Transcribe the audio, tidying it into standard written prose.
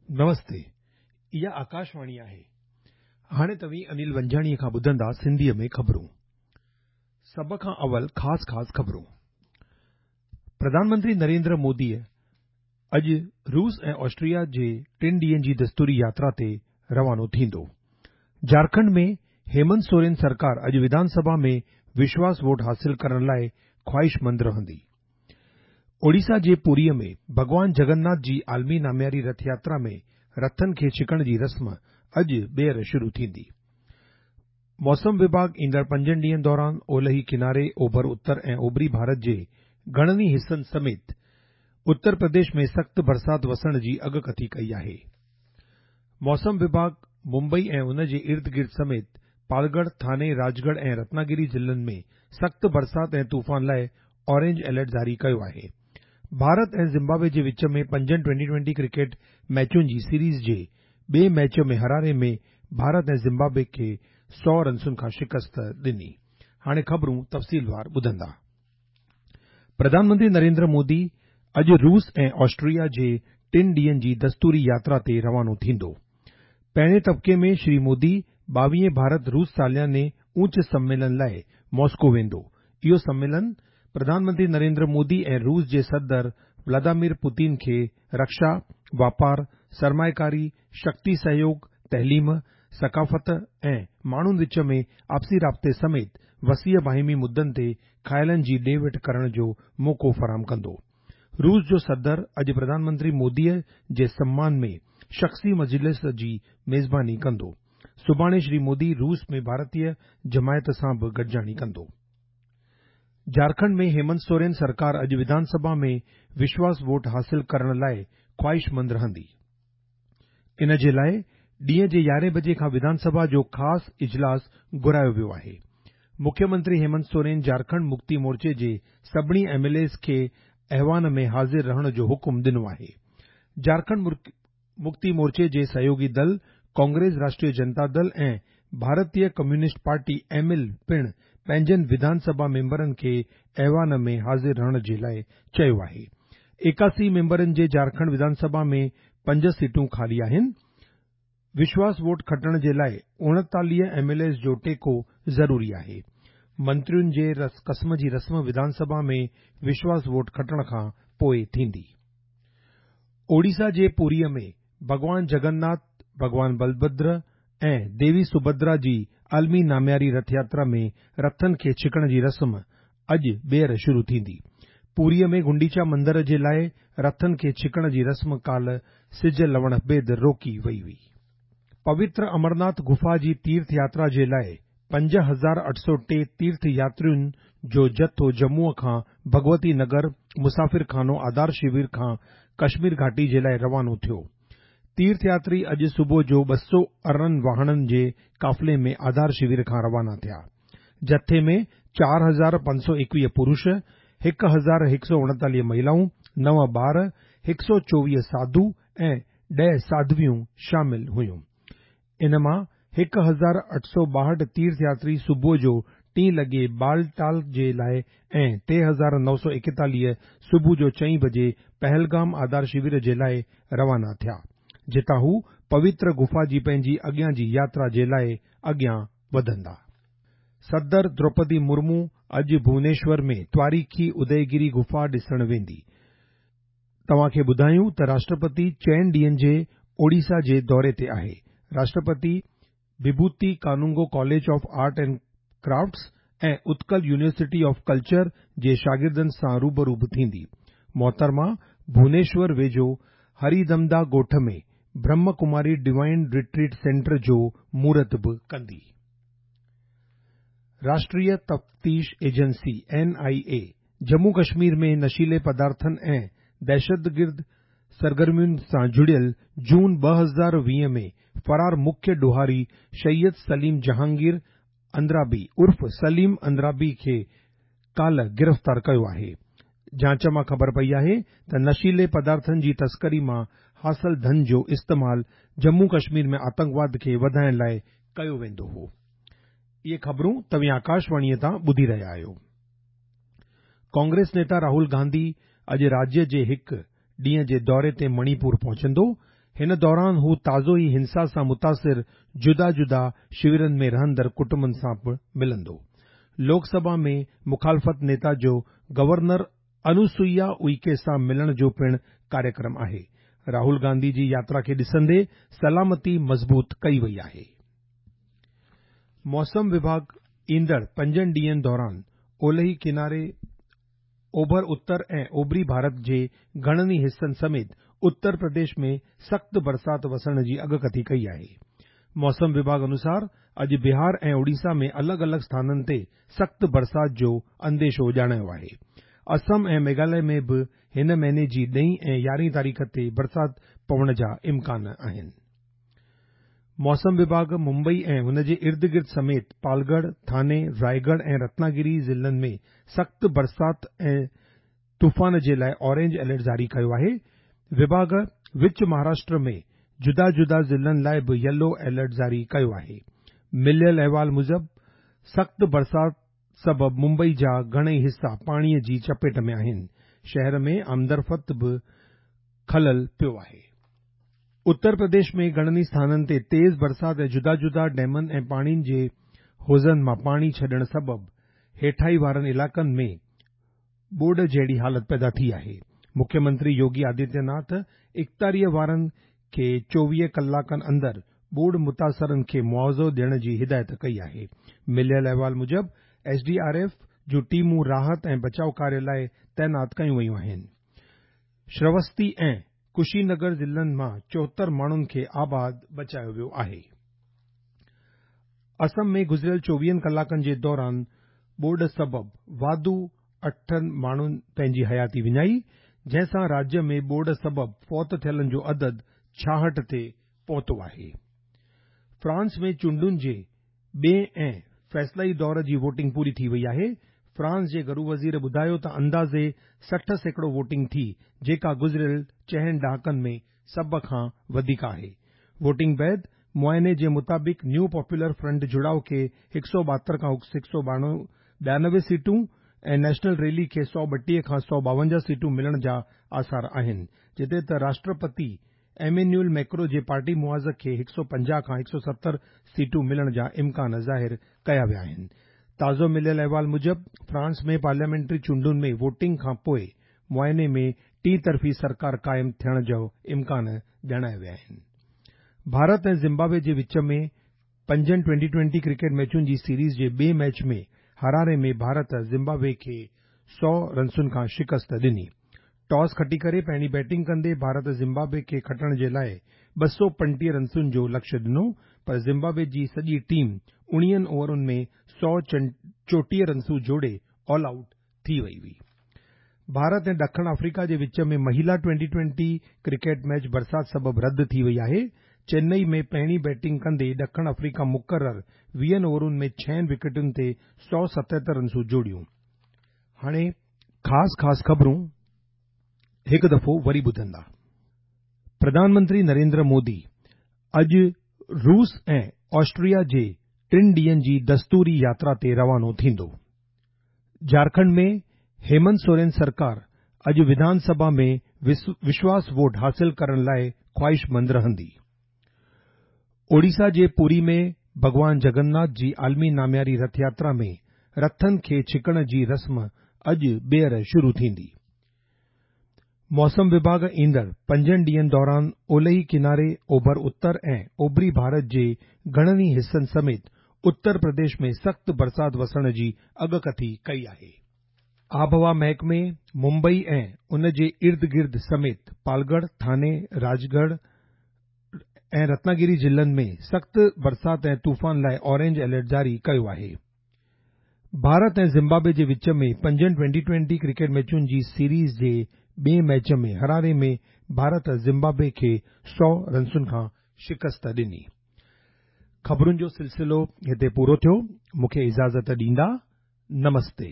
نمستي، اها آڪاشواڻي آهي. هاڻي توهين انيل ونجاڻيء کان ٻڌندا سنڌيء ۾ خبرون. سڀ کان اول خاص خاص خبرون. پرڌان منتري نريندر موديء اڄ روس ۽ آسٽريا جي ٽن ڏينهن جي دستوري ياترا تي روانو ٿيندو. جهارکنڊ ۾ هيمنت سورين سرڪار اڄ وڌان سڀا ۾ وشواس ووٽ حاصل ڪرڻ لاء خواهشمند رهندي. اوڙيسا جي پوريء ۾ ڀڳوان جگناٿ جي عالمي نامياري رٿ ياترا ۾ رٿن کي ڇڪڻ جي رسم اڄ ٻيهر شروع ٿيندي. موسم وڀاڳ ايندڙ پنجن ڏينهن دوران اولهي ڪناري، اوڀر اتر ۽ اوڀري ڀارت جي گهڻن ئي حصن سميت اتر پرديش ۾ سخت برسات وسڻ جي اڳڪٿي ڪئي آهي. موسم وڀاڳ ممبئي ۽ ان جي ارد گرد سميت پالڳڙهه، ٿاني، راجڳڙهه ۽ رتناگري ضلعن ۾ سخت برسات ۽ طوفان لاء اورينج الرٽ جاري ڪيو آهي. ڀارت ۽ زمبابوي جي وچ ۾ پنجن ٽوئنٽي ٽوئنٽي ڪرڪيٽ ميچن جي سيريز جي ٻئي ميچ ۾ هراري ۾ ڀارت ۽ زمبابوي کي سؤ رنسن کان شڪست ڏني. هاڻي خبرون تفصيلوار ٻڌندا. پرڌان منتري نريندر مودي اڄ روس ۽ آسٽريا جي ٽن ڏينهن جي دستوري ياترا تي روانو ٿيندو. پهرين طبقي ۾ شري مودي ٻاويهين ڀارت روس سالياني اوچ سميلن لاء ماسڪو ويندو. اهو سميلن پرڌان منتري نريندر مودي ۽ روس جي صدر ولاديمير پوتين کي رڪشا، واپار، سرمائيڪاري، شڪتي سهيوڳ، تعليم، ثقافت ۽ ماڻهن وچ ۾ آپسي رابطي سميت وسيع باهمي مدن تي خيالن جي ڏي وٺ ڪرڻ جو موقعو فراهم ڪندو. روس جو صدر اڄ پرڌان منتري موديء جي سمان ۾ شخصي مجلس جي ميزباني ڪندو. سڀاڻي شري مودي روس ۾ ڀارتيه جماعت سان به گڏجاڻي ڪندو. جهارکنڊ ۾ هيمنت سورين سرڪار اڄ وڌان سڀا ۾ وشواس ووٽ حاصل ڪرڻ لاء خواهشمند رهندي. ان جي لاء ڏينهن جي يارهين بجي کان وڌان سڀا جو خاص اجلاس گهرايو ويو آهي. مکيه منتري هيمنت سورين جهارکنڊ مڪتي مورچي جي سڀني ايم ايل ايز کي ايوان ۾ حاضر رهڻ جو حڪم ڏنو آهي. جهارکنڊ مڪتي مورچي جي سهيوڳي دل ڪانگريس راشٽريه جنتا دل ۽ ڀارتيه ڪميونسٽ پارٽي ايم ايل پڻ پنهنجن وڌان سڀا ميمبرن کي ايوان ۾ حاضر رهڻ جي لاء چيو آهي. 81 ميمبرن جي جهارکنڊ وڌان سڀا ۾ پنج سيٽون خالي آهن. وشواس ووٽ کٽڻ جي لاء 39 ايم ايل ايز جو ٽيڪو ضروري آهي. منترين جي قسم جي رسم وڌان سڀا ۾ وشواس ووٽ کٽڻ کان پوء ٿيندي. اوڙيسا جي پوريء ۾ ڀڳوان جگناٿ، ڀڳوان بلڀدر ۽ ديوي سڀدرا جي عالمي نامياري رٿ ياترا ۾ رٿن کي ڇڪڻ جي رسم اڄ ٻيهر شروع ٿيندي. پوريء ۾ گنڊيچا مندر جي لاء رٿن کي ڇڪڻ جي رسم ڪالهه سج لهڻ بعد روڪي وئي هئي. پوتر امرناٿ غفا جي تيرٿ ياترا جي لاء 5803 تيرٿ ياترين جو جٿو ڄمونء کان ڀڳونتي نگر مسافر خانو آڌار شور کان ڪشمير گهاٽي جي لاء روانو ٿيو. تيرٿ ياتري اڄ صبح جو 218 واهڻن جي قافلي ۾ آڌار شور کان روانا ٿيا. جٿي ۾ 4521 پرش، 1139 مهلائون، نو ٻار، 124 ساڌو ۽ 10 ساڌويون شامل هيون. ان مان 1862 تيرٿ ياتري صبح جو ٽين لڳي بالٽال جي لاء ۽ 3941 صبح جو چئين بجي پهلگام آڌار شور جي لاء روانا ٿيا، جتان هو پوتر غفا جي پنهنجي اڳيان جي ياترا جي لاء اڳيان وڌندا. صدر دروپدي مرمو اڄ ڀونيشور ۾ تواريخي اديگري غفا ڏسڻ ويندي. توهان کي ٻڌايون ته راشٽرپتي چئن ڏينهن جي اوڙيسا جي دوري تي آهي. Rashtrapati Bibhuti Kanungo college of art and crafts ۽ Utkal university of culture جي شاگردن سان روبرو به ٿيندي. محترمه ڀونيشور ويجهو هريدمدا ڳوٺ ۾ Brahma Kumari divine retreat centre جو مهورت به ڪندي. راشٽريه تفتيش ايجنسي، اين آء اي، ڄمون ڪشمير ۾ نشيلي پدارٿن ۽ دهشتگرد سرگرمين سان جڙيل جون 2020 ۾ فرار مکيه ڏوهاري سيد سليم جهانگير اندرابي عرف سليم اندرابي کي ڪالهه گرفتار ڪيو آهي. جاچ مان خبر پئي آهي ته نشيلي پدارٿن جي تسڪري مان حاصل ڌن جو استعمال ڄمون ڪشمير ۾ آتنڪواد کي وڌائڻ لاء ڪيو ويندو هو. اهي خبرون توهين آڪاشواڻيء تان ٻڌي رهيا آهيو. ڪانگريس نيتا راهول گانڌي اڄ راجيه جي هڪ ڏينهن جي دوري تي مڻيپور پهچندو. هن دوران هو تازو ئي هنسا سان متاثر جدا جدا شويرن ۾ رهندڙ ڪٽنبن سان به ملندو. لوڪ سڀا ۾ مخالفت نيتا جو گورنر انوسوئيا اوئڪي سان ملڻ جو پڻ ڪاريڪرم آهي. راهول گانڌي جي ياترا کي ڏسندي سلامتي مضبوط ڪئي وئي آهي. موسم وڀاڳ ايندڙ پنجن ڏينهن دوران اولهي ڪناري، اوڀر اتر ۽ اوڀري ڀارت جي گهڻن ئي حصن سميت اتر پرديش ۾ سخت برسات وسڻ جي اڳڪٿي ڪئي آهي. موسم وڀاڳ انوسار اڄ بهار ۽ اوڙيسا ۾ الڳ الڳ اسٿانن تي سخت برسات جو انديشو ڄاڻايو آهي. اسم ۽ ميگهاليه ۾ به هن مهيني جي ڏهين ۽ يارهين تاريخ تي برسات پوڻ جا امڪان آهن. موسم وڀاڳ ممبئي ۽ ان جي ارد گرد سميت پالڳڙهه، ٿاني، رائيڳڙهه ۽ رتناگري ضلعن ۾ سخت برسات ۽ طوفان جي لاء اورينج الرٽ جاري ڪيو آهي. وڀاڳ وچ مهاراشٽر ۾ جدا جدا ضلعن لاء به يلو الرٽ جاري ڪيو آهي. مليل احوال موجب سخت برسات سبب ممبئي جا گهڻئي حصا پاڻي جي چپيٽ ۾ آهن. شهر ۾ آمدرفت به خلل پيو آهي. اتر پرديش ۾ گهڻن ئي اسٿانن تي تيز برسات ۽ جدا جدا ڊيمن ۽ پاڻي جي حوضن مان پاڻي ڇڏڻ سبب هيٺائي وارن علائقن ۾ ٻوڏ جهڙي حالت پيدا ٿي آهي. مکيه منتري يوگي آدتيه ناٿ اختياريء وارن کي 24 ڪلاڪن اندر ٻوڏ متاثرن کي معاوضو ڏيڻ جي هدايت ڪئي آهي. مليل احوال موجب ايس ڊي آر ايف جون ٽيمون راحت ۽ بچاء ڪاريه لاء تعينات ڪيون ويون آهن. شراوستي ۽ ڪشي نگر ضلعن مان 74 ماڻهن کي آباد بچايو ويو آهي. اسم ۾ گذريل 24 ڪلاڪن جي دوران ٻوڏ سبب واڌو اٺن ماڻهن پنهنجي حياتي وڃائي، جنهن سان راجيه ۾ ٻوڏ سبب فوت ٿيلن جو عدد 66 تي پهتو آهي. فرانس ۾ چونڊن جي ٻئين ۽ فيصلائي دور جي ووٽنگ پوري ٿي وئي آهي. فرانس جي گهرو وزير ٻڌايو ته اندازي 60% ووٽنگ ٿي، جيڪا گذريل چئن ڏهاڪن ۾ سڀ کان وڌيڪ آهي. ووٽنگ بعد معائني جي مطابق نيو پاپولر فرنٽ جڙاء کي 172 کان 192 سيٽون ۽ نيشنل ريلي کي 132 کان 152 سيٽون ملڻ جا آثار آهن، جتي ته راشٽرپتي ايمينيول ميڪرو جي پارٽي معاذ کي 150 کان 170 سيٽون ملڻ جا امڪان ظاهر ڪيا ويا آهن. تازو مليل احوال موجب فرانس ۾ پارليامينٽري چونڊن ۾ ووٽنگ کان پوء معائني ۾ ٽين طرفي سرڪار قائم ٿيڻ جو امڪان ڄاڻايا ويا آهن. ڀارت ۽ زمبابوي جي وچ ۾ پنجن ٽوئنٽي ٽوئنٽي ڪرڪيٽ ميچن جي سيريز جي ٻئي ميچ ۾ هراري ۾ ڀارت زمبابوي کي 100 رنسن کان شڪست ڏني. ٽاس کٽي ڪري پهرين بيٽنگ ڪندي ڀارت زمبابوي کي کٽڻ جي لاء 235 رنسن جو لڪشيه ڏنو پر زمبابوي جي سڄي ٽيم 19 اوورن ۾ 134 رنسون جوڙي آل آئوٽ ٿي وئي هئي. ڀارت ۽ ڏکڻ آفريڪا جي وچ ۾ مهيلا ٽوئنٽي ٽوئنٽي ڪرڪيٽ ميچ برسات سبب رد ٿي وئي آهي. چنئي ۾ پهرين بيٽنگ ڪندي ڏکڻ آفريڪا مقرر 20 اوورن ۾ ڇهن وڪيٽن تي 177 رنسون جوڙيون. هاڻي خاص خاص خبرون هڪ دفعو وري ٻڌندا. پرڌان منتري نريندر مودي اڄ روس ۽ آسٽريا جي ٽن ڏينهن جي دستوري ياترا تي روانو ٿيندو. جهارکنڊ ۾ هيمنت سورين سرڪار اڄ وڌان سڀا ۾ وشواس ووٽ حاصل ڪرڻ لاء خواهشمند رهندي. اوڙيسا جي پوري ۾ ڀڳوان جگناٿ جي عالمي نامياري رٿ ياترا ۾ رٿن کي ڇڪڻ جي رسم اڄ ٻيهر شروع ٿيندي. موسم وڀاڳ ايندڙ پنجن ڏينهن دوران اولهي ڪناري، اوڀر اتر ۽ اوڀري ڀارت جي گهڻن ئي حصن سميت اتر پرديش ۾ سخت برسات وسڻ جي اڳڪٿي ڪئي آهي. آبهوا محڪمي ممبئي ۽ ان جي ارد گرد سميت پالڳڙهه، ٿاني، راجڳڙهه ۽ رتناگري ضلعن ۾ سخت برسات ۽ طوفان لاء اورينج الرٽ جاري ڪيو آهي. ڀارت ۽ زمبابوي جي وچ ۾ پنجن ٽوئنٽي ٽوئنٽي ڪرڪيٽ ميچن جي سيريز جي ٻئين ميچ ۾ هراري ۾ ڀارت زمبابوي کي 100 رنسن کان شڪست ڏني. خبرن جو سلسلو هتي پورو ٿيو. مون کي اجازت ڏيندا. نمستي.